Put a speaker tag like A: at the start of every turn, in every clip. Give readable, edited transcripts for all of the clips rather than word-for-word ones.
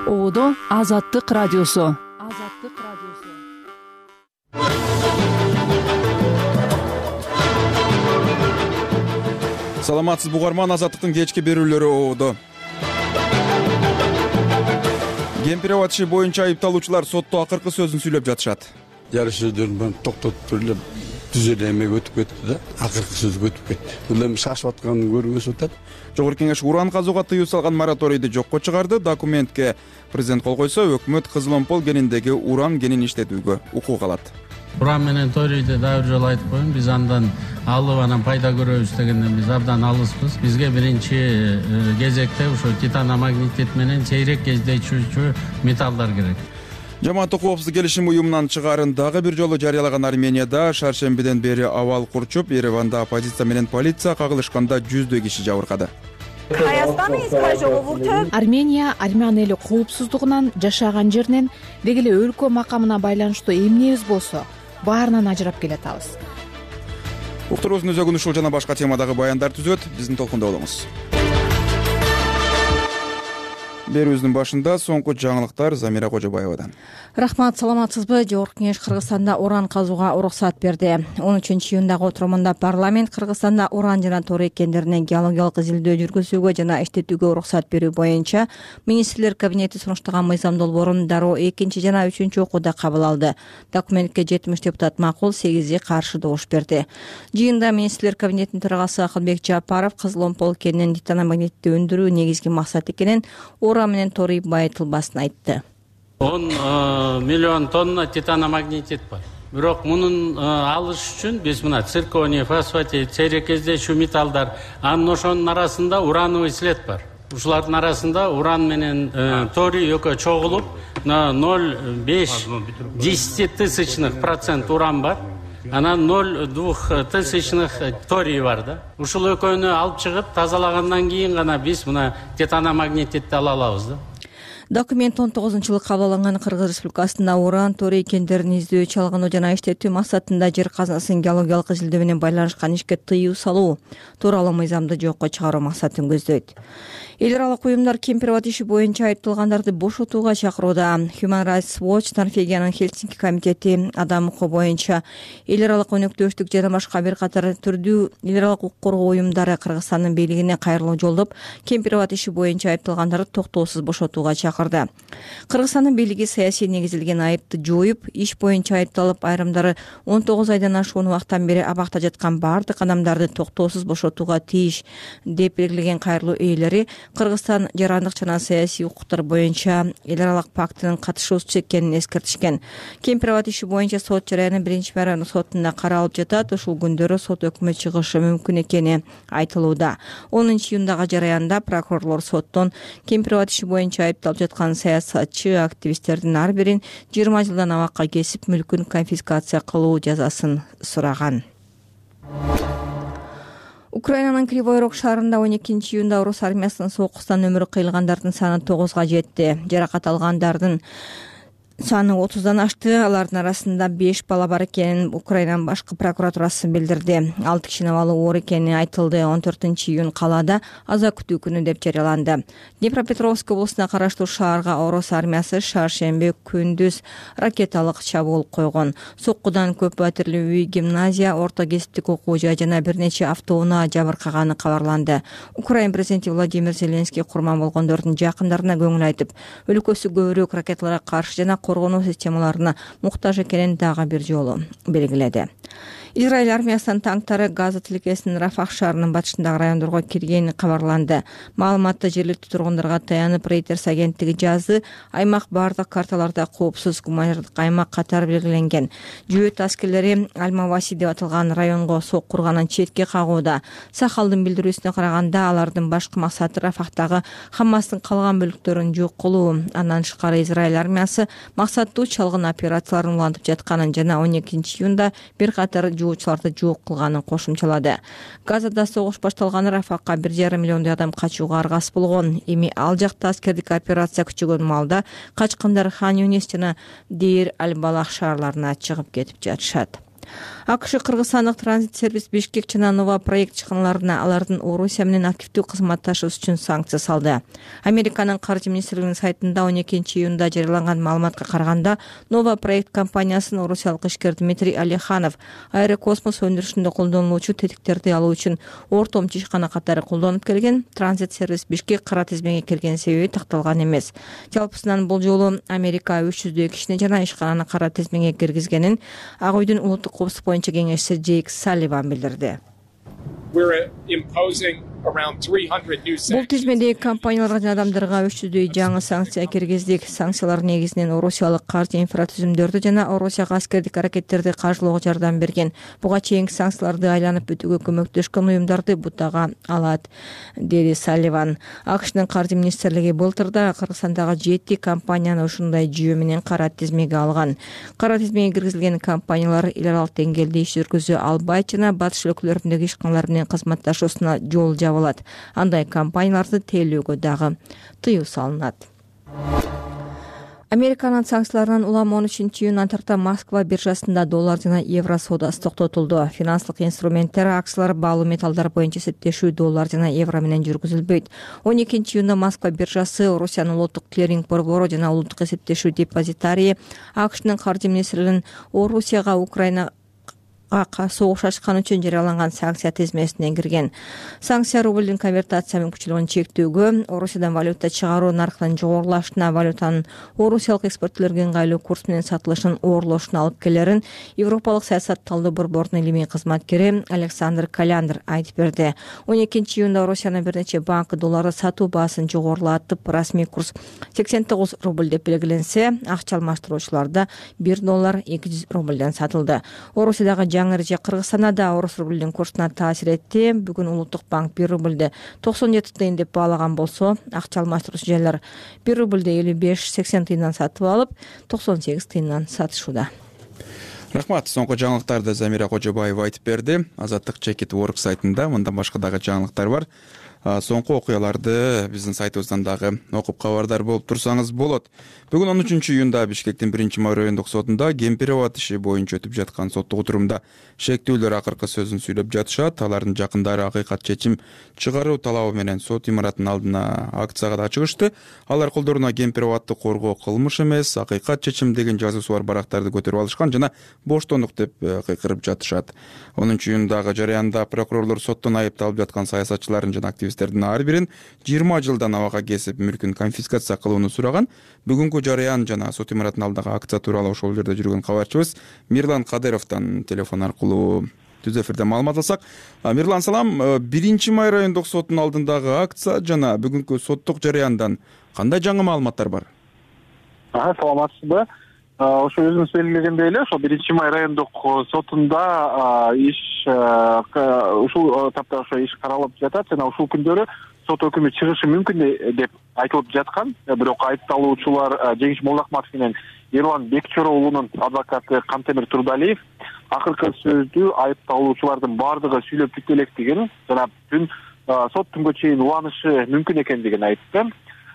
A: Оодо Азаттык радиосу.
B: Саламатсыз угарман, Азаттыктын кечки берүүлөрү оодо. Кемпир аба иши боюнча айыпталуучулар сотто акыркы сөзүн сүйлөп жатышат.
C: Жарыш сөздөрүн токтотуп эле түз эле эме өтүп кетти да, акыркы сөз өтүп кетти. Бул эми шашып атканын көргөзүп атат.
B: Жогорку кеңеш уран казууга тыюу салган мораторийди жокко чыгарды. Документке президент кол койсо, өкмөт Кызыломпол кениндеги уран кенин иштетүүгө укук алат.
D: Уран менен торийди дагы бир жолу айтып коеюн, биз андан алып анан пайда көрөбүз дегенден биз абдан алыспыз. Бизге биринчи кезекте ошо титан магнетит менен сейрек кездешүүчү металлдар керек.
B: Жамааттык коопсуздук келишим уюмунан чыгаарын дагы бир жолу жарыялаган Арменияда шаршембиден бери абал курчуп, Ереванда оппозиция менен полиция кагылышканда жүздөй киши жабыркады.
A: Армения армян эли коопсуздугунан, жашаган жеринен, деги эле өлкө макамына байланыштуу эмнебиз болсо баарынан ажырап келатабыз.
B: Уктуруубуздун өзөгүн ушул жана башка темадагы баяндар түзөт. Биздин толкунда болуңуз. Берүүбүздүн башында соңку жаңылыктар Замира Кожобаевадан.
E: Рахмат, саламатсызбы? Жогорку кеңеш Кыргызстанда уран казууга уруксат берди. 13-июндагы отурумунда парламент Кыргызстанда уран жана торий кендеринен геологиялык изилдөө жүргүзүүгө жана иштетүүгө уруксат берүү боюнча министрлер кабинети сунуштаган мыйзам долбоорун дароо 2 жана 3 окууда кабыл алды. Документке 70 депутат макул, 8 каршы добуш берди. Жыйында министрлер кабинетинин төрагасы Акылбек Жапаров Кызыломпол кенинин титаномагнитти өндүрүү негизги максат экенин, уран менен торий байытылбасын айтты.
D: 10 миллион тонна титаномагнетит бар. Бирок мунун алыш үчүн биз мына цирконий, фосфатит, сейрек кездешүү металлдар, анын ошонун арасында урановый след бар. Ушулардын арасында уран менен торий экөө чогулуп, 0,5% уран бар. Анан 0,2 торий бар да. Ушул экөөнү алып чыгып тазалагандан кийин гана биз мына титаномагнетитти ала алабыз да.
E: Документ 19-жылы кабыл алынган Кыргыз Республикасында уран, торий кендерин издөө, чалгануу жана иштетүү максатында жер казынасын геологиялык изилдөө менен байланышкан ишке тыюу салуу тууралуу мыйзамды жокко чыгаруу максатын көздөйт. Эл аралык уюмдар кемпир аба иши боюнча айыпталгандарды бошотууга чакырууда. Human Rights Watch, Норвегиянын Хельсинки комитети адам укугу боюнча эл аралык өнөктөштүк жана башка бир катар түрдүү эл аралык укук коргоо уюмдары Кыргызстандын бийлигине кайрылуу жолдоп, кемпир аба иши боюнча айыпталгандарды токтоосуз бошотууга чакырды. Кыргызстандын бийлиги саясий негизилген айыпты жоюп, иш боюнча айыпталып, айрымдары 19 айдан ашуун убакыттан бери абакта жаткан бардык адамдарды токтоосуз бошотууга тийиш деп белгилеген кайрылуу ээлери Кыргызстан жарандык жана саясий укуктар боюнча эл аралык пактынын катышуучусу экенин эскертишкен. Кемпир аба иши боюнча сот жараянын 1-мәрөөнү сотунда каралып жатат. Ушул күндөрү сот өкмө чыгышы мүмкүн экени айтылууда. 10-июндагы жараянда прокурорлор соттон кемпир аба иши боюнча айыпталып жаткан саясатчы, активисттердин ар бирин 20 жылдан абакка кесип, мүлкүн конфискация кылуу жазасын сураган. Украинанын Кривой Рог шаарында 12-июнда орус армиясынын сокустан өмүрү кыйылгандардын саны 9 жетти. Жаракат алгандардын саны 30дан ашты. Алардын арасында 5 бала бар экенин Украинанын башкы прокуратурасы билдирди. 6 кишинин абалы оор экени айтылды. 14-июнь калаада аза күтүү күнү деп жарыяланды. Днепропетровск облусуна караштуу шаарга орус армиясы шаршемби күндүз ракеталык чабуул койгон. Соккудан көп батирлүү үй, гимназия, орто кесиптик окуу жай жана бир нече автоунаа жабыркаганы кабарланды. Украин президенти Владимир Зеленский курман болгондордун жакындарына көңүл айтып, өлкөсү көбүрөөк ракеталарга каршы жана коргонуу системаларына муктаж экенин дагы бир жолу белгиледи. Израиль армиясынын танктары Газа тилкесинин Рафах шаарынын батышындагы райондорго киргени кабарланды. Маалыматты жергиликтүү тургундарга таянып Reuters агенттиги жазды. Аймак бардык карталарда коопсуз гуманитардык аймак катары белгиленген. Жүйөт аскерлери Аль-Маваси деп аталган районго соккурганын четке кагууда. Сахалдын билдирүүсүнө караганда, алардын башкы максаты Рафахтагы Хамастын калган бөлүктөрүн жок кылуу. Андан тышкары Израиль армиясы максаттуу чалгын операцияларын улантып жатканын жана 12-июнда бир катар жуучуларды жок кылганын кошумчалады. Газада согуш башталганы Рафакка 1,5 миллиондой адам качууга аргас болгон. Эми ал жакта аскердик операция күчөгөн маалда качкындар Хан Юнис жана Дейр Аль-Балах шаарларына чыгып кетип жатышат. АКШ кыргызстандык транзит сервис Бишкек жана Нова проект чыгымдарына алардын Орусия менен активдүү кызматташуу үчүн санкция салды. Американын каржы министрлигинин сайтында 12-июнда жарыяланган маалыматка караганда Нова проект компаниясынын орусиялык ишкер Дмитрий Алиханов аэрокосмос өндүрүшүндө колдонулуучу тетиктерди алуу үчүн ортомчу ишкана катары колдонуп келген. Транзит сервис Бишкек кара тизмеге кирген себеби такталган эмес. Жалпысынан бул жолу Америка 300 кишини жана ишкананы кара тизмеге киргизгенин Ак үйдүн улуттук коопсуздук боюнча кеңешчиси Джейк Салливан билдирди. Бул тизмедеги компанияларга жана адамдарга 300 жаңы санкция киргиздик. Санкциялар негизинен орусиялык каржы инфратүзүмдөрдү жана Орусияга аскердик аракеттерди каржылоого жардам берген. Буга чейинки санкцияларды айланып өтүүгө көмөктөшкөн уюмдарды бутага алат, деди Салливан. АКШнын каржы министрлиги былтырда Кыргызстандагы 7 компанияны ушундай жүйө менен кара тизмеге алган. Кара тизмеге киргизилген компаниялар эл аралык деңгээлде иш жүргүзө албайт жана батыш өлкөлөрүндөгү ишканалар менен кызматташуусуна жол жабылат. Андай компанияларды тейлөөгө дагы тыюу салынат. Американын санкцияларынан улам 13-июндан тарта Москва биржасында доллар жана евро соодасы токтотулду. Финансылык инструменттер, акциялар, баалуу металлдар боюнча эсептешүү доллар жана евро менен жүргүзүлбөйт. 12-июнда Москва биржасы Орусиянын улуттук клиринг борбору жана улуттук эсептешүү депозитарии АКШнын каржы министрлигинин Орусияга Украинага согуш ачкан үчүн жарыяланган санкция тизмесине кирген. Санкция рублдун конвертация мүмкүнчүлүгүн чектөөгө, Орусиядан валюта чыгаруу наркынын жогорулашына, валютанын орусиялык экспортторлорго ыңгайлуу курс менен сатылышын оорлошуна алып келерин Европалык саясат талдоо борборунун илимий кызматкери Александр Каляндр айтып берди. 12-июнда Орусиянын бир нече банкы долларды сатуу баасын жогорулатып, расмий курс 89 рубль деп белгиленсе, акча алмаштыруучуларда 1 доллар 200 рубльден сатылды. Орусиядагы жаңы эреже Кыргызстанда да орус рубльдин курсуна таасир этти. Бүгүн улуттук банк 1 рубльди 97 тыйын деп баалаган болсо, акча алмаштыруучу жайлар 1 рубльди 55-80 тыйындан сатып алып, 98 тыйындан сатышууда.
B: Рахмат. Соңку жаңылыктарды Замира Кожобаева айтып берди. Азаттык Чекит Work сайтында мындан башка дагы жаңылыктар бар. Соңку окуяларды биздин сайтыбыздан дагы окуп кабардар болуп турсаңыз болот. Бүгүн 13-июнда Бишкектин 1-май райондук сотунда Кемпирова иши боюнча өтүп жаткан соттук отурумда шектүүлөр акыркы сөзүн сүйлөп жатышат. Алардын жакындары акыйкат чечим чыгаруу талабы менен сот имаратынын алдына акцияга да чыгышты. Алар колдоруна Кемпироватты коргоо кылмыш эмес, акыйкат чечим деген жазуусу бар барактарды көтөрүп алышкан жана боштондук деп кыйкырып жатышат. 10-июндагы жарыянда прокурорлор соттон айыпталып жаткан саясатчылардын жана активисттердин ар бирин 20 жылдан абага кесип мүлкүн конфискация кылууну сураган. Бүгүнкү жарыян жана сот имаратынын алдындагы акция тууралуу ошол жерде жүргөн кабарчыбыз Мирлан Кадыровдон телефон аркылуу түз эфирде маалымат алсак. Мирлан, салам. 1-май райондук соттун алдындагы акция жана бүгүнкү соттук жарыяндан кандай жаңы маалыматтар бар?
F: Саламатсызбы? Ошо өзүңүз белгилегендей эле, ошо 1-май райондук сотунда ушул тапта ошо иш каралып жатат жана ушул күндөрү сот өкүмү чыгышы мүмкүн деп айтылып жаткан. Бирок айыпталуучулар Жеңиш Молдахматов менен Ерлан Бекчоро уулунун адвокаты Кантемир Турдалиев акыркы сөздү айыпталуучулардын баардыгы сүйлөп бүтө электигин жана бүт сот түнгө чейин уланышы мүмкүн экендигин айтты.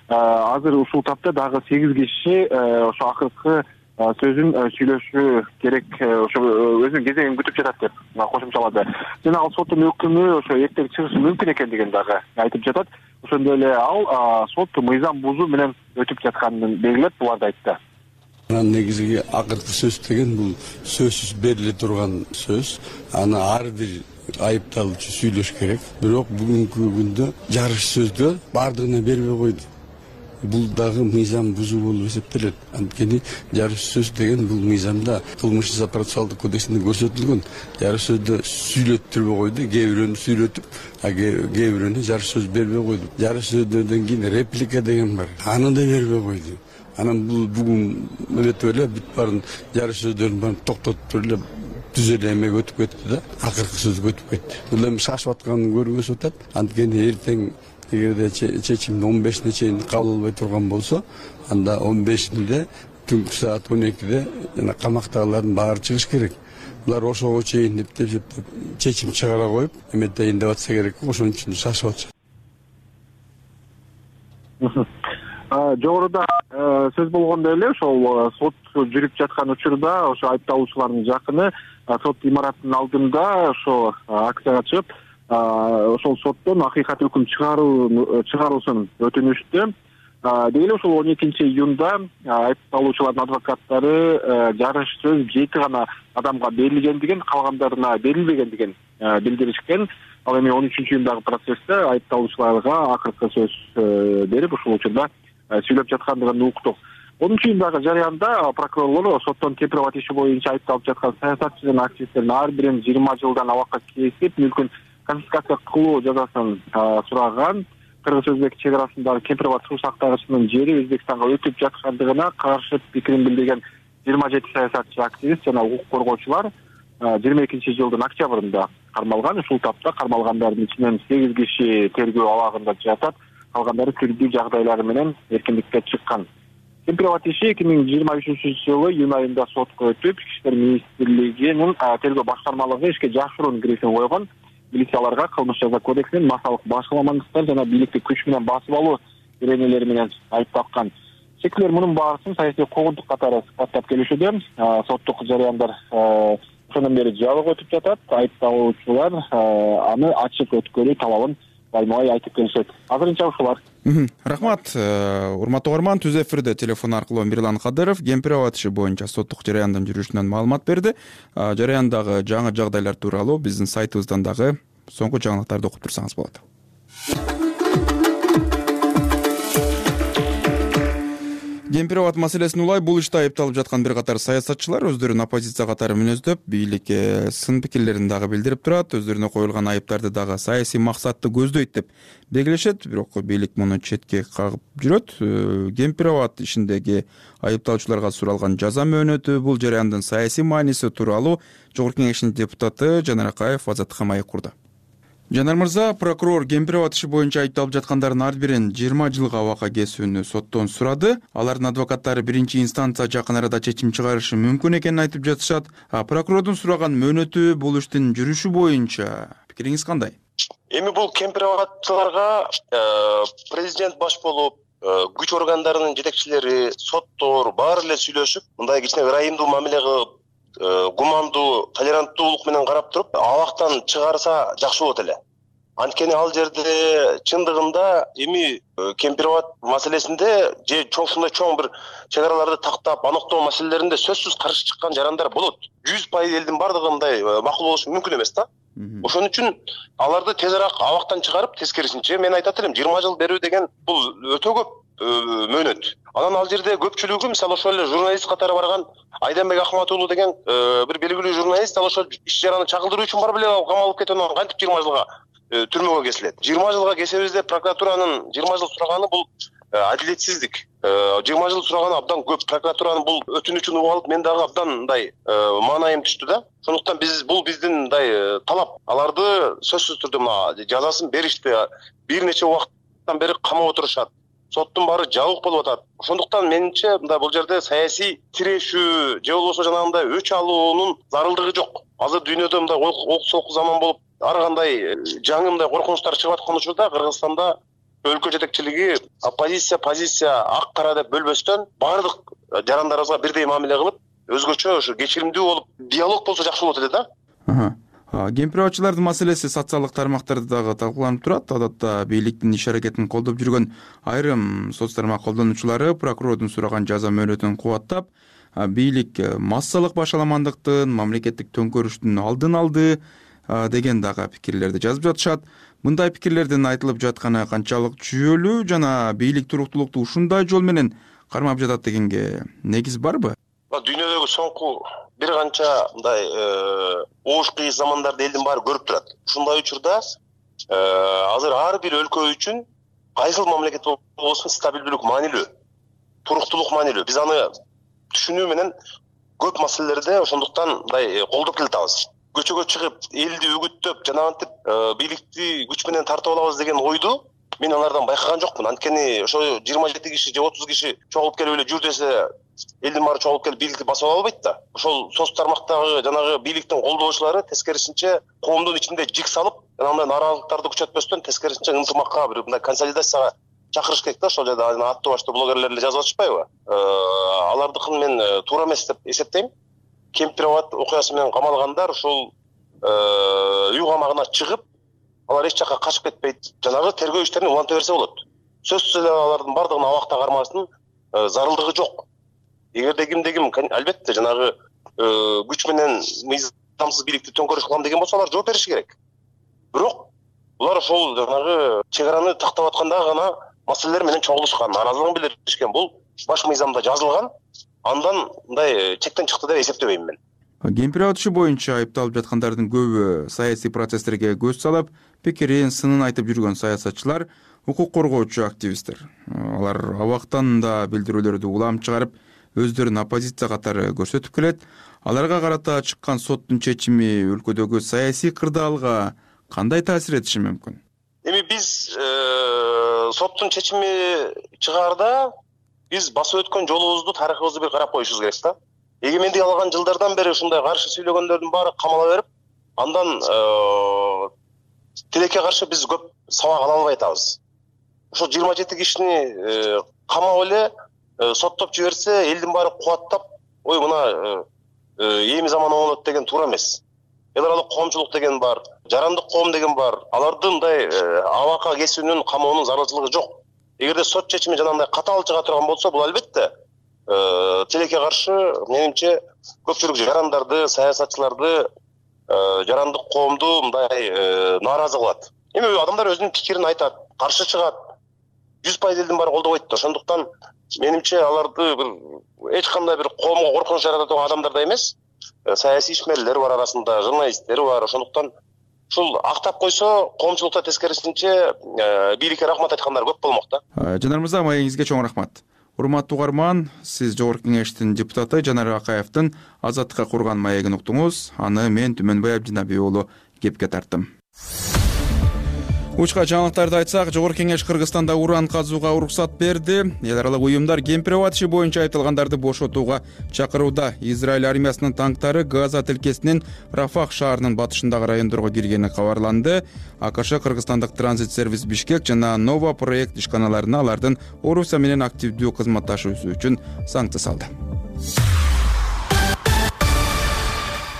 F: Азыр ушул тапта дагы 8 киши ошо акыркы сөзүн сүйлөшү керек, ошо өзүнүн кезегин күтүп жатат деп кошумчалады. Жана ал соттун өкүмү ошо эртең чыгышы мүмкүн экендигин дагы айтып жатат. Ошондой эле ал сот мыйзам бузуу менен өтүп жатканын белгилеп, буларды айтты.
C: Негизги акыркы сөз деген бул сөзсүз бериле турган сөз. Аны ар бир айыпталуучу сүйлөш керек. Бирок бүгүнкү күндө жарыш сөздө бардыгына бербей койду. Бул дагы мыйзам бузуу болуп эсептелет. Анткени жарыш сөз деген бул мыйзамда кылмыш жаза процессуалдык кодексинде көрсөтүлгөн. Жарыш сөздө сүйлөттүрбөй койду, кээ бирөөнү сүйлөтүп, кээ бирөөнү жарыш сөз бербей койду. Жарыш сөздөрдөн кийин реплика деген бар. Аны да бербей койду. Анан бул бүгүн өтүп эле бүт баарын жарыш сөздөрүн баарын токтотуп эле түз эле эмеге өтүп кетти да, акыркы сөзгө өтүп кетти. Бул эми шашып атканын көргөзүп атат. Анткени эртең эгерде чечим 15-не чейин кабыл албай турган болсо, анда 15-inde түнкү саат 12-де жана камактагылардын баары чыгыш керек. Булар ошого чейин деп чечим чыгара коюп, эметейин деп атса керек, ошон үчүн шашып атышат.
F: Жогоруда сөз болгондой эле ошол сот жүрүп жаткан учурда ошо айыпталуучулардын жакыны сот имаратынын алдында ошо акцияга чыгып ошол соттон акыйкат өкүм чыгаруусун өтүнүштү. Деги эле ушул 12-июнда айыпталуучулардын адвокаттары жарыш сөз 7 гана адамга берилгендигин, калгандарына берилбегендигин билдиришкен. Ал эми 13-июндагы процессте айыпталуучуларга акыркы сөз берип, ушул учурда сүйлөп жаткандыгын уктук. 10-июндагы жарыянда прокурорлор соттон Кемпирова иши боюнча айыпталып жаткан саясатчы жана активисттердин ар бирин 20 жылдан абакка кесип, мүлкүн конфискация кылуу жазасын сураган. Кыргыз-Өзбек чек арасындагы Кемпирова суу сактагычынын жери Өзбекстанга өтүп жаткандыгына каршы пикирин билдирген 27 саясатчы, активист жана укук коргоочулар 22-жылдын октябрында кармалган. Ушул тапта кармалгандардын ичинен 8 киши тергөө абагында жатат, калгандары тирдүү жагдайлары менен эркиндикке чыккан. Кемпирова иши 2023-жылы июнь айында сотко өтүп, Ички иштер министрлигинин тергөө башкармалыгы ишке жашыруун киришин койгон. Милицияларга кылмыш жаза кодексинин массалык башкаламандыктар жана бийликти күч менен басып алуу иренелери менен айыпталган. Чекчилер мунун баарысын саясий куугунтук катары сыпаттап келишүүдө. Соттук жарыяндар ошондон бери жабык өтүп жатат. Айыпталуучулар аны ачык өткөрүү талабын байма-бай айтып келишет. Азырынча ушулар.
B: Рахмат. Урматтуу угарман, түз эфирде телефон аркылуу Мирлан Кадыров Кемпирова иши боюнча соттук жарыяндын жүрүшүнөн маалымат берди. Жарыяндагы жаңы жагдайлар тууралуу биздин сайтыбыздан дагы соңку жаңылыктарды окуп турсаңыз болот. Кемпирова маселесин улай бул иште айыпталып жаткан бир катар саясатчылар өздөрүн оппозиция катары мүнөздөп, бийликке сын пикирлерин дагы билдирип турат, өздөрүнө коюлган айыптарды дагы саясий максатты көздөйт деп белгилешет, бирок бийлик муну четке кагып жүрөт. Кемпирова ишиндеги айыпталуучуларга суралган жаза мөөнөтү, бул жарыяндын саясий мааниси тууралуу Жогорку Кеңештин депутаты Жанар Акаев Азаттыкка маек курду. Жанар мырза, прокурор Кемпирова иши боюнча айыпталып жаткандардын ар бирин 20 жылга абакка кесүүнү соттон сурады. Алардын адвокаттары биринчи инстанция жакын арада чечим чыгарышы мүмкүн экенин айтып жатышат. Прокурордун сураган мөөнөтү бул иштин жүрүшү боюнча пикириңиз кандай?
G: Эми бул Кемпировачыларга президент баш болуп, күч органдарынын жетекчилери, соттор баары эле сүйлөшүп, мындай кичине ырайымдуу мамиле кылып, гумандуу, толеранттуулук менен карап туруп, абактан чыгарса жакшы болот эле. Анткени ал жерде чындыгында эми Кемпирова маселесинде же ушундай чоң бир чек араларды тактап аныктоо маселелеринде сөзсүз каршы чыккан жарандар болот. 100% элдин бардыгы мындай макул болушу мүмкүн эмес да. Ошон үчүн аларды тез арак абактан чыгарып, тескерисинче мен айтат элем 20 жыл берүү деген бул өтө көп мөөнөт. Анан ал жерде көпчүлүгү мисалы ошол эле журналист катары барган Айданбек Ахмат уулу деген бир белгилүү журналист ал ошол иш жараны чагылдыруу үчүн барып эле камалып кетип, анан кантип 20 жылга түрмөгө кесилет. 20 жылга кесебиз деп прокуратуранын 20 жыл сураганы бул адилетсиздик. 20 жыл сураганы абдан көп. Прокуратуранын бул өтүнүчүн угуп алып, мен дагы абдан мындай маанайым түштү да. Ошондуктан бул биздин мындай талап. Аларды сөзсүз түрдө мына жазасын беришти. Бир нече убакыттан бери камап отурушат. Соттун баары жабык болуп атат. Ошондуктан менимче мындай бул жерде саясий тирешүү же болбосо жанагындай өч алуунун зарылдыгы жок. Азыр дүйнөдө мындай оксолку заман болуп, ар кандай жаңы мындай коркунучтар чыгып аткан учурда Кыргызстанда өлкө жетекчилиги оппозиция, позиция ак кара деп бөлбөстөн баардык жарандарыбызга бирдей мамиле кылып, өзгөчө ошо кечиримдүү болуп, диалог болсо жакшы болот эле да.
B: Кемпировачылардын маселеси социалдык тармактарда дагы талкууланып турат. Адатта бийликтин иш аракетин колдоп жүргөн айрым соц тармак колдонуучулары прокурордун сураган жаза мөөнөтүн кубаттап, бийлик массалык башаламандыктын, мамлекеттик төңкөрүштүн алдын алды деген дагы пикирлерди жазып жатышат. Мындай пикирлердин айтылып жатканы канчалык жүйөлүү жана бийлик туруктуулукту ушундай жол менен кармап жатат дегенге негиз барбы?
G: Дүйнөдөгү соңку бир канча мындай оош кыйыз замандарды элдин баары көрүп турат. Ушундай учурда азыр ар бир өлкө үчүн кайсыл мамлекет болбосун стабилдүүлүк маанилүү, туруктуулук маанилүү. Биз аны түшүнүү менен көп маселелерде ошондуктан мындай колдоп келатабыз. Көчөгө чыгып, элди үгүттөп, жанагынтип бийликти күч менен тартып алабыз деген ойду мен алардан байкаган жокмун. Анткени ошо 27 киши же 30 киши чогулуп келип эле жүр десе, элдин баары чогулуп келип бийликти басып ала албайт да. Ошол соц тармактагы жанагы бийликтин колдоочулары тескерисинче коомдун ичинде жик салып, жанагындай нараазылыктарды күчөтпөстөн тескерисинче ынтымакка, бир мындай консолидацияга чакырыш керек да. Ошол жерде аттуу баштуу блогерлер эле жазып атышпайбы? Алардыкын мен туура эмес деп эсептейм. Кемпироват окуясы менен камалгандар ушул үй камагына чыгып, алар эч жакка качып кетпейт. Жанагы тергөө иштерин уланта берсе болот. Сөзсүз эле алардын бардыгын абакта кармаштын зарылдыгы жок. Эгерде ким албетте жанагы күч менен мыйзамсыз бийликти төңкөрүш кылам деген болсо, алар жооп бериши керек. Бирок булар ошол жанагы чек араны тактап атканда гана маселелер менен чогулушкан, нааразылыгын билдиришкен. Бул баш мыйзамда жазылган. Андан мындай чектен чыкты деп эсептебейм мен.
B: Кемпироват иши боюнча айыпталып жаткандардын көбү саясий процесстерге көз салып, пикирин, сынын айтып жүргөн саясатчылар, укук коргоочу активисттер. Алар абактан да билдирүүлөрдү улам чыгарып, өздөрүн оппозиция катары көрсөтүп келет. Аларга карата чыккан соттун чечими өлкөдөгү саясий кырдаалга кандай таасир этиши мүмкүн?
G: Эми биз соттун чечими чыгаарда биз басып өткөн жолубузду, тарыхыбызды бир карап коюшубуз керек да. Эгемендик алган жылдардан бери ушундай каршы сүйлөгөндөрдүн баары камала берип, андан тилекке каршы биз көп сабак ала албай атабыз. Ошо 27 кишини камап эле соттоп жиберсе, элдин баары кубаттап, ой мына эми заман оңолот деген туура эмес. Эл аралык коомчулук деген бар, жарандык коом деген бар. Алардын мындай абакка кесүүнүн, камоонун зарылчылыгы жок. Эгерде сот чечими жанагындай катаал чыга турган болсо, бул албетте тилекке каршы, менимче, көпчүлүк жарандарды, саясатчыларды, жарандык коомду мындай нааразы кылат. Эми адамдар өзүнүн пикирин айтат, каршы чыгат. 100% элдин баары колдобойт. Ошондуктан менимче аларды бир эч кандай бир коомго коркунуч жарата турган адамдар да эмес. Саясий ишмерлер бар арасында, журналисттер бар. Ошондуктан ушул актап койсо, коомчулукта тескерисинче бийликке рахмат айткандар көп болмок да.
B: Жанар мырза, маегиңизге чоң рахмат. Урматтуу угарман, сиз Жогорку Кеңештин депутаты Жанар Акаевдин Азаттыкка курган маегин уктуңуз. Аны мен Түмөнбай Абдинабий уулу кепке тарттым. Учка жаңылыктарды айтсак, Жогорку Кеңеш Кыргызстанда уран казууга уруксат берди. Эл аралык уюмдар Кемпироват иши боюнча айыпталгандарды бошотууга чакырууда. Израиль армиясынын танктары Газа тилкесинин Рафах шаарынын батышындагы райондорго киргени кабарланды. АКШ Кыргызстандык транзит сервис Бишкек жана Нова проект ишканаларына алардын Орусия менен активдүү кызматташуусу үчүн санкция салды.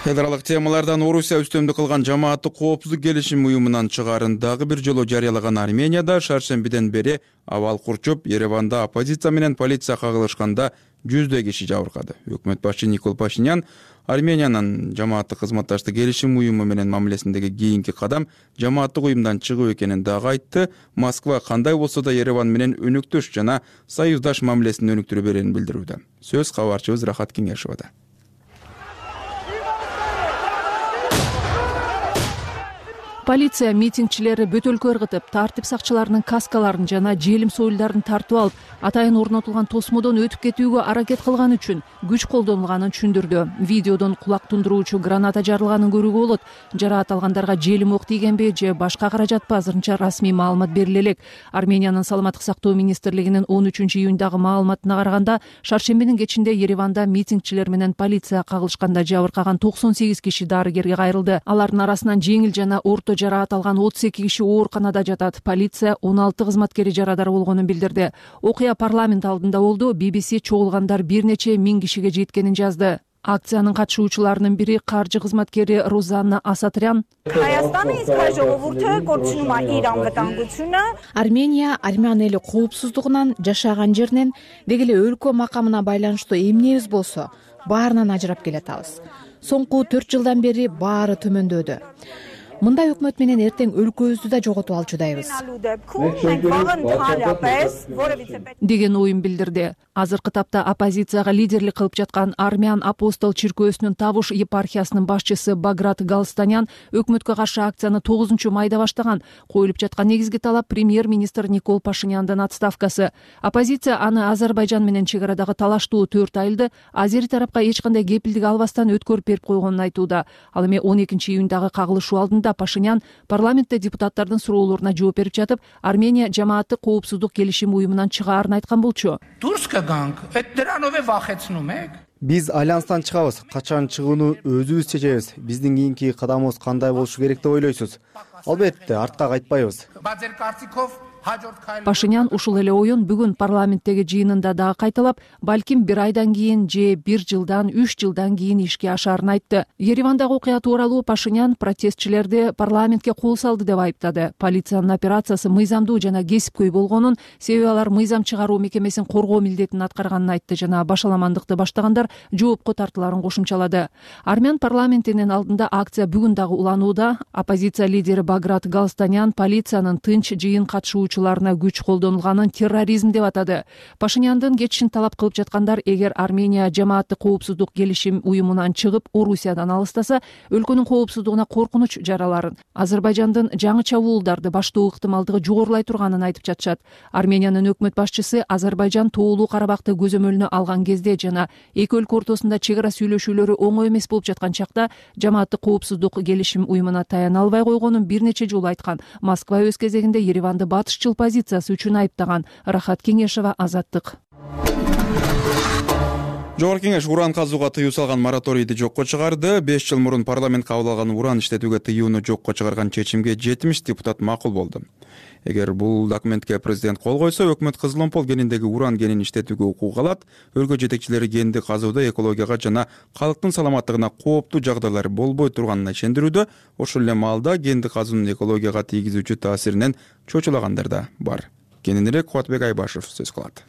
B: Эл аралык темалардан Орусия үстөмдүк кылган жамааттык коопсуздук келишим уюмунан чыгаарын дагы бир жолу жарыялаган Арменияда шаршембиден бери абал курчуп, Ереванда оппозиция менен полиция кагылышканда жүздөй киши жабыркады. Өкмөт башчы Никол Пашинян Армениянын жамааттык кызматташтык келишим уюму менен мамилесиндеги кийинки кадам жамааттык уюмдан чыгуу экенин дагы айтты. Москва кандай болсо да Ереван менен өнүктүш жана союздаш мамилесин өнүктүрө берерин билдирүүдө. Сөз кабарчыбыз Рахат Кеңешовада.
H: Полиция митингчилерди бөтөлкө ыргытып, тартип сакчыларынын каскаларын жана желим союлдарын тартып алып, атайын орнотулган тосмодон өтүп кетүүгө аракет кылган үчүн күч колдонулганын түшүндүрдү. Видеодон кулак тундуруучу граната жарылганын көрүүгө болот. Жараат алгандарга желим ок тийгенби же башка каражатпы азырынча расмий маалымат бериле элек. Армениянын саламаттык сактоо министрлигинин 13-июндагы маалыматына караганда, шаршембинин кечинде Ереванда митингчилер менен полиция кагылышканда жабыркаган 98 киши дарыгерге кайрылды. Алардын арасынан жеңил жана орто жараат алган 32 киши ооруканада жатат. Полиция 16 кызматкери жарадар болгонун билдирди. Окуя парламент алдында болду. BBC чогулгандар бир нече миң кишиге жеткенин жазды. Акциянын катышуучуларынын бири каржы кызматкери Розанна Асатрян.
A: Армения армян эли коопсуздугунан, жашаган жеринен, деги эле өлкө макамына байланыштуу эмнебиз болсо, баарынан ажырап келатабыз. Соңку 4 жылдан бери баары төмөндөдү. Мындай өкмөт менен эртең өлкөбүздү да жоготуп алчудайбыз
H: деген оюн билдирди. Азыркы тапта оппозицияга лидерлик кылып жаткан Армян Апостол чиркөөсүнүн Табуш епархиясынын башчысы Баграт Галстанян өкмөткө каршы акцияны 9-майда баштаган. Коюлуп жаткан негизги талап премьер-министр Никол Пашиняндын отставкасы. Оппозиция аны Азербайжан менен чек арадагы талаштуу 4 айылды азери тарапка эч кандай кепилдик албастан өткөрүп берип койгонун айтууда. Ал эми 12-июндагы кагылышуу алдында Пашинян парламентте депутаттардын суроолоруна жооп берип жатып, Армения жамааттык коопсуздук келишим уюмунан чыгаарын айткан болчу.
I: Биз альянстан чыгабыз. Качан чыгууну өзүбүз чечебиз. Биздин кийинки кадамыбыз кандай болушу керек деп ойлойсуз? Албетте, артка кайтпайбыз.
H: Пашинян ушул эле оюн бүгүн парламенттеги жыйынында дагы кайталап, балким 1 айдан кийин же 1 жылдан 3 жылдан кийин ишке ашаарын айтты. Еревандагы окуя тууралуу Пашинян протестчилерди парламентке кол салды деп айыптады. Полициянын операциясы мыйзамдуу жана кесипкөй болгонун, себеби алар мыйзам чыгаруу мекемесин коргоо милдетин аткарганын айтты жана башаламандыкты баштагандар жоопко тартыларын кошумчалады. Армян парламентинин алдында акция бүгүн дагы уланууда. Оппозиция лидери Баграт Галстанян полициянын тынч жыйын катышуучуларына күч колдонулганын терроризм деп атады. Пашиняндын кетишин талап кылып жаткандар эгер Армения жамааттык коопсуздук келишим уюмунан чыгып Орусиядан алыстаса, өлкөнүн коопсуздугуна коркунуч жараларын, Азербайжандын жаңы чабуулдарды баштоо ыктымалдыгы жогорулай турганын айтып жатышат. Армениянын өкмөт башчысы Азербайжан тоолуу Карабакты көзөмөлүнө алган кезде жана эки өлкө ортосунда чек ара сүйлөшүүлөрү оңой эмес болуп жаткан чакта жамааттык коопсуздук келишим уюмуна таяна албай койгонун бир нече жолу айткан. Москва өз кезегинде Ереванды батышчыл позициясы үчүн айыптаган. Рахат Кеңешова, Азаттык.
B: Жогорку Кеңеш уран казууга тыюу салган мораторийди жокко чыгарды. 5 жыл мурун парламент кабыл алган уран иштетүүгө тыюуну жокко чыгарган чечимге 70 депутат макул болду. Эгер бул документке президент кол койсо, өкмөт Кызыл-Омпол кениндеги уран кенин иштетүүгө укук алат. Өлкө жетекчилери кенди казууда экологияга жана калктын саламаттыгына кооптуу жагдайлар болбой турганына ишендирүүдө. Ошол эле маалда кенди казуунун экологияга тийгизүүчү таасиринен чочулагандар да бар. Кененирээк Кубатбек Айбашев сөз кылат.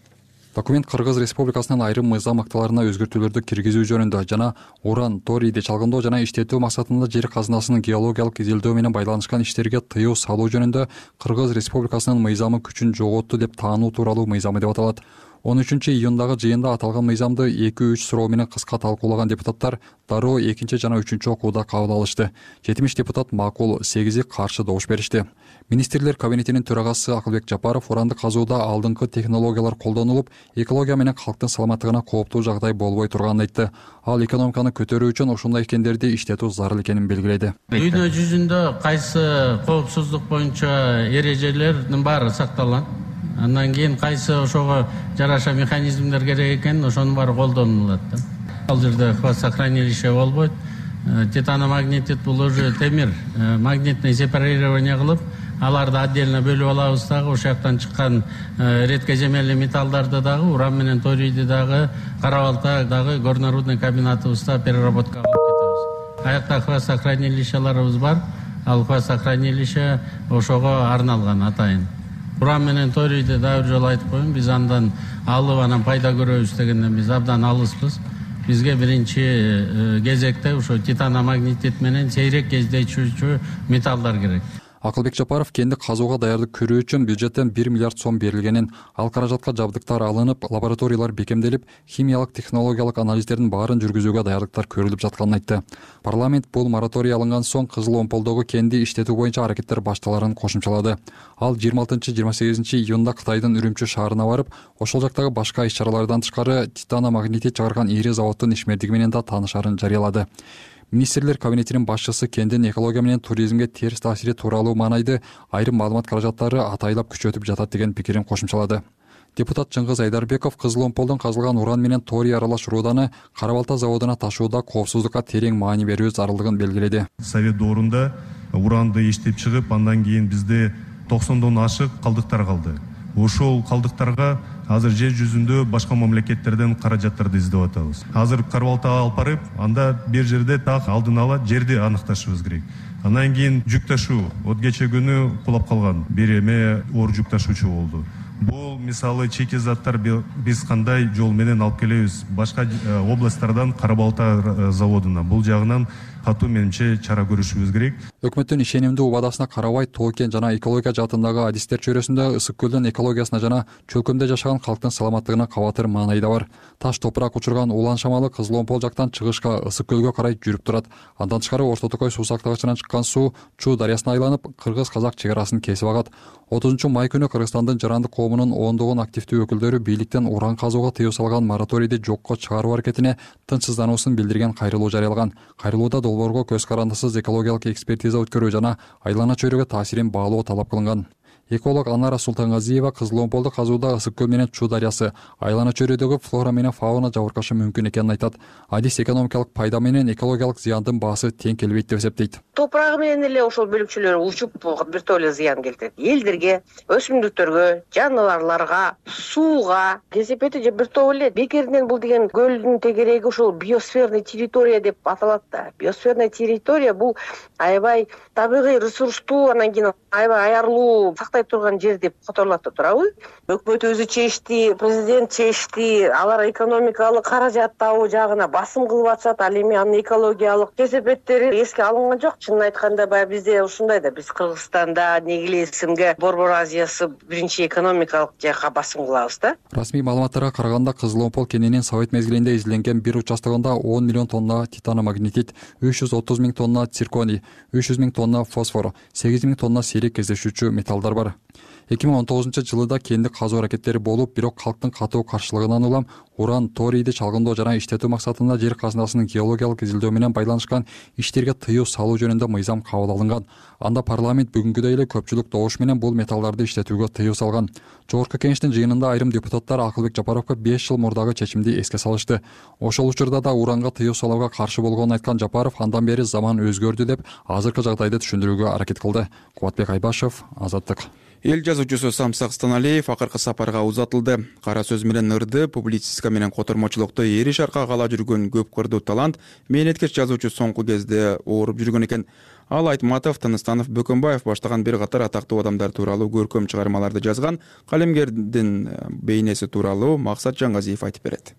J: Документ Кыргыз Республикасынын айрым мыйзам актыларына өзгөртүүлөрдү киргизүү жөнүндө жана уран, торийди чалгындоо жана иштетүү максатында жер казынасынын геологиялык изилдөө менен байланышкан иштерге тыюу салуу жөнүндө Кыргыз Республикасынын мыйзамы күчүн жоготту деп таануу тууралуу мыйзамы деп аталат. 13-июндагы жыйында аталган мыйзамды 2-3 суроо менен кыска талкуулаган депутаттар дароо 2 жана 3 окууда кабыл алышты. 70 депутат макул, 8 каршы добуш беришти. Министрлер кабинетинин төрагасы Акылбек Жапаров уранды казууда алдыңкы технологиялар колдонулуп, экология менен калктын саламаттыгына кооптуу жагдай болбой турганын айтты. Ал экономиканы көтөрүү үчүн ушундай кендерди иштетүү зарыл экенин белгиледи.
D: Дүйнө жүзүндө кайсы коопсуздук боюнча эрежелердин баары сакталган. Андан кийин кайсы ошого жараша механизмдер керек экен, ошонун баары колдонулат. Ал жерде хвостохранилище болбойт. Титаномагнетит бул уже темир, магнитный сепарирование кылып, аларды отдельно бөлүп алабыз дагы, ошол жактан чыккан редкоземельный металлдарды дагы, уран менен торийди дагы, Карабалта дагы горнорудный комбинатыбызда переработкага алып кетебиз. Аякта хвостохранилищеларыбыз бар. Ал хвостохранилище ошого арналган атайын. Уран менен торийди да бир жолу айтып коеюн, биз андан алып анан пайда көрөбүз дегенден биз абдан алыспыз. Бизге биринчи кезекте ошо титаномагнетит менен сейрек кездешүүчү металлдар керек.
J: Акылбек Жапаров кенди казууга даярдык көрүү үчүн бюджеттен 1 миллиард сом берилгенин, ал каражатка жабдыктар алынып, лабораториялар бекемделип, химиялык технологиялык анализдердин баарын жүргүзүүгө даярдыктар көрүлүп жатканын айтты. Парламент бул мораторий алынган соң Кызыл-Омполдогу кенди иштетүү боюнча аракеттер башталарын кошумчалады. Ал 26-28 июнда Кытайдын Үрүмчү шаарына барып, ошол жактагы башка иш-чаралардан тышкары титаномагнетит чыгарган ири заводдун ишмердиги менен да таанышаарын жарыялады. Министрлер кабинетинин башчысы кендин экология менен туризмге терс таасири тууралуу маанайды айрым маалымат каражаттары атайлап күчөтүп жатат деген пикирин кошумчалады. Депутат Чыңгыз Айдарбеков Кызыл-Омполдон казылган уран менен торий аралаш руданы Карабалта заводуна ташууда коопсуздукка терең маани берүү зарылдыгын белгиледи.
K: Совет доорунда уранды иштеп чыгып, андан кийин бизде 90дон ашык калдыктар калды. Ошол калдыктарга азыр жер жүзүндө башка мамлекеттерден каражаттарды издеп атабыз. Азыр Карабалтага алып барып, анда бир жерде так алдын ала жерди аныкташыбыз керек. Андан кийин жүк ташуу, кече күнү кулап калган бир эме оор жүк ташуучу болду. Бул мисалы чеки заттар биз кандай жол менен алып келебиз башка областтардан Карабалта заводуна. Бул жагынан катуу менимче чара көрүшүбүз керек.
J: Өкмөттүн ишенимдүү убадасына карабай, тоо-кен жана экология жаатындагы адистер чөйрөсүндө ысык көлдүн экологиясына жана чөлкөмдө жашаган калктын саламаттыгына кабатыр маанайда бар. Таш топурак учурган улан шамалы Кызыл-Омпол жактан чыгышка ысык көлгө карай жүрүп турат. Андан тышкары Орто Токой суу сактагычынан чыккан суу Чуу дарыясына айланып, кыргыз-казак чек арасын кесип агат. 30 май күнү Кыргызстандын жарандык коомунун ондогон активдүү өкүлдөрү бийликтен уран казууга тыюу салган мораторийди жокко чыгаруу аракетине тынчсыздануусун билдирген кайрылуу жарыялаган. Кайрылууда долбоорго көз карандысыз экологиялык экспертиза өткөрүү жана айлана чөйрөгө таасирин баалоо талап кылынган. Эколог Анара Султангазиева Кызыл Омполду казууда Ысык көл менен Чуу дарыясы айлана чөйрөдөгү флора менен фауна жабыркашы мүмкүн экенин айтат. Адис экономикалык пайда менен экологиялык зыяндын баасы тең келбейт деп эсептейт.
L: Топурагы менен эле ошол бөлүкчөлөр учуп бир топ эле зыян келтирет. Элдерге, өсүмдүктөргө, жаныбарларга, сууга, кесепети же бир топ эле бекеринен бул деген көлдүн тегереги ушул биосферный территория деп аталат да. Биосферный территория бул аябай табигый ресурстуу, анан кийин аябай аярлуу сактай турган жер деп которулат да турабы. Өкмөт өзү чечти, президент чечти, алар экономикалык каражат табуу жагына басым кылып атышат, ал эми анын экологиялык кесепеттери эске алынган жок. Чынын айтканда баягы бизде ушундай да, биз Кыргызстанда Негилесимге Борбор Азиясы биринчи экономикалык жакка басым кылабыз да.
J: Расмий маалыматтарга караганда Кызыл Омпол кененин Совет мезгилинде изилинген бир участогунда 10 миллион тонна титаномагнетит, 330 миң тонна цирконий, 300 миң тонна фосфор, 8 миң тонна сейрек кездешүүчү металлдар бар. 2019-жылы кендик казуу аракеттери болуп, бирок калктын катуу каршылыгынан улам уран, торийди чалгындоо жана иштетүү максатында жер казынасынын геологиялык изилдөө менен байланышкан иштерге тыюу салуу жөнүндө мыйзам кабыл алынган. Анда парламент бүгүнкүдөй эле көпчүлүк добуш менен бул металлдарды иштетүүгө тыюу салган. Жогорку кеңештин жыйынында айрым депутаттар Акылбек Жапаровго 5 жыл мурдагы чечимди эске салышты. Ошол учурда да уранга тыюу салууга каршы болгонун айткан Жапаров андан бери заман өзгөрдү деп азыркы жагдайды түшүндүрүүгө аракет кылды. Кубатбек Айбашев, Азаттык.
B: Эл жазуучусу Самсак Станалиев акыркы сапарга узатылды. Кара сөз менен ырды, публицистика менен котормочулукта эри шаркка кала жүргөн көп кырдуу талант мээнеткеч жазуучу соңку кезде ооруп жүргөн экен. Ал Айтматов, Тыныстанов, Бөкөнбаев баштаган бир катар атактуу адамдар тууралуу көркөм чыгармаларды жазган. Калемгердин бейнеси тууралуу Максат Жаңгазиев айтып берет.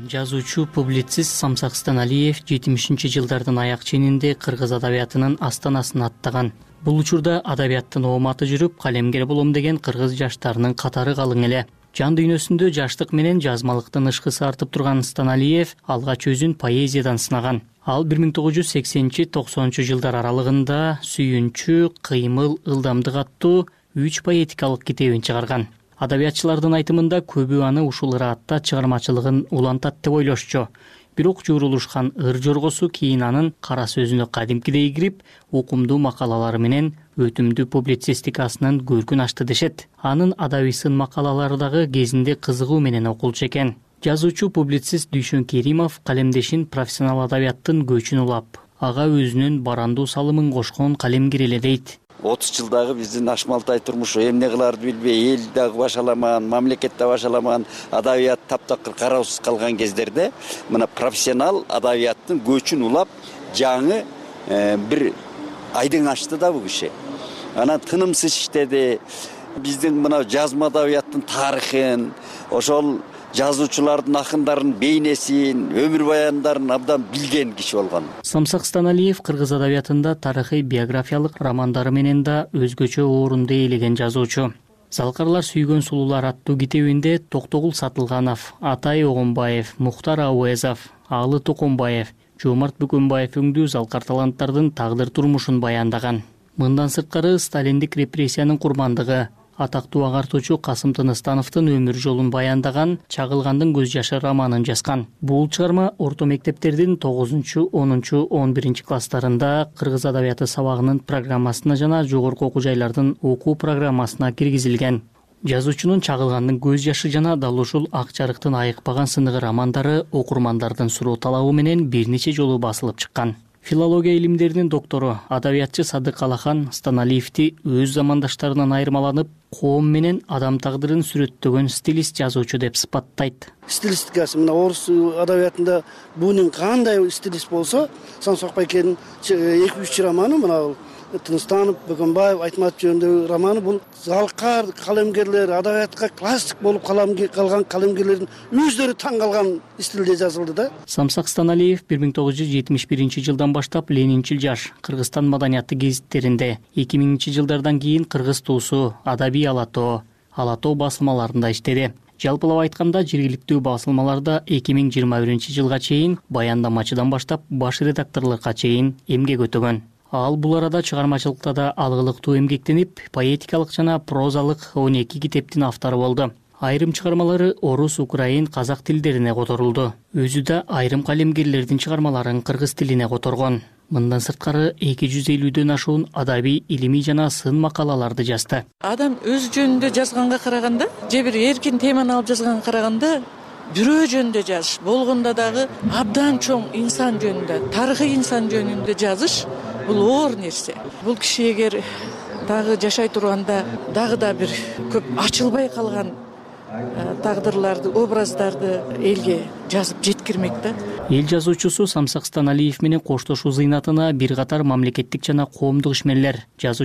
M: Жазуучу, публицист Самсак Станалиев 70-жылдардын аяк ченинде кыргыз адабиятынын астанасын аттаган. Бул учурда адабияттын ооматы жүрүп, калемгер болом деген кыргыз жаштарынын катары калың эле. Жан дүйнөсүндө жаштык менен жазмалыктын ышкысы артып турган Станалиев алгач өзүн поэзиядан сынаган. Ал 1980-90 жылдар аралыгында Сүйүнчү, Кыймыл, Ылдамдык аттуу 3 поэтикалык китебин чыгарган. Адабиятчылардын айтымында көбү аны ушул ыраатта чыгармачылыгын улантат деп ойлошчу. Бирок журулушкан ыр жоргосу кийин анын кара сөзүнө кадимкидей кирип, укумдуу макалалары менен өтүмдүү публицистикасынын көркүн ачты дешет. Анын адабий сын макалалары дагы кезинде кызыгуу менен окулчу экен. Жазуучу, публицист Дүйшөн Керимов калемдешин профессионал адабияттын көчүн улап, ага өзүнүн барандуу салымын кошкон калемгер эле дейт.
N: 30 жылдагы биздин ашмалтай турмушу эмне кылаарды билбей, эл дагы башаламаган, мамлекет да башаламаган, адабият таптакыр кароосуз калган кездерде мына профессионал адабияттын көчүн улап, жаңы бир айдың ачты да бул киши. Анан тынымсыз иштеди. Биздин мына жазма адабияттын тарыхын, ошол жазуучулардын, акындардын бейнесин, өмүр баяндарын абдан билген киши болгон.
M: Самсак Станалиев кыргыз адабиятында тарыхый биографиялык романдары менен да өзгөчө орунду ээлеген жазуучу. Залкарлар сүйгөн сулуулар аттуу китебинде Токтогул Сатылганов, Атай Огонбаев, Мухтар Ауэзов, Алы Токонбаев, Жомарт Бөкөнбаев өңдүү залкар таланттардын тагдыр турмушун баяндаган. Мындан сырткары сталиндик репрессиянын курмандыгы, атактуу агартуучу Касым Тыныстановдун өмүр жолун баяндаган Чагылгандын көз жашы романын жазган. Бул чыгарма орто мектептердин 9-10, 11 класстарында кыргыз адабияты сабагынын программасына жана жогорку окуу жайлардын окуу программасына киргизилген. Жазуучунун Чагылгандын көз жашы жана дал ушул ак жарыктын айыкпаган сыныгы романдары окурмандардын суроо талабы менен бир нече жолу басылып чыккан. Филология илимдеринин доктору, адабиятчы Садык Алахан Станалиевти өз замандаштарынан айырмаланып, коом менен адам тагдырын сүрөттөгөн стилист жазуучу деп сыпаттайт.
O: Стилистикасы мына орус адабиятында бунун кандай стилист болсо, Самсак байкенин 2-3 романы мына Тыныстанов, Бөкөнбаев, Айтматов жөнүндөгү романы бул залкар калемгерлер, адабиятка классик болуп калган калемгерлердин өздөрү таң калган стилде жазылды да.
M: Самсак Станалиев 1971-жылдан баштап Ленинчил жаш Кыргызстан маданияты гезиттеринде, 2000-жылдардан кийин Кыргыз туусу, Адабий Алатоо, Алатоо басылмаларында иштеди. Жалпылап айтканда жергиликтүү басылмаларда 2021-жылга чейин баяндамачыдан баштап баш редакторлукка чейин эмгек өтөгөн. Ал бул арада чыгармачылыкта да алгылыктуу эмгектенип, поэтикалык жана прозалык 12 китептин автору болду. Айрым чыгармалары орус, украин, казак тилдерине которулду. Өзү да айрым калемгерлердин чыгармаларын кыргыз тилине которгон. Мындан сырткары 250дөн ашуун адабий, илимий жана сын макалаларды жазды.
P: Адам өз жөнүндө жазганга караганда, же бир эркин теманы алып жазганга караганда, бирөө жөнүндө жазыш, болгондо дагы абдан чоң инсан жөнүндө, тарыхый инсан жөнүндө жазыш бул оор нерсе. Бул киши эгер дагы жашай турганда дагы да бир көп ачылбай калган тагдырларды, образдарды элге жазып жеткирмек да.
M: Эл жазуучусу Самсакстан Алиев менен коштошуу зыйнатына бир катар мамлекеттик жана коомдук ишмерлер, жазуучу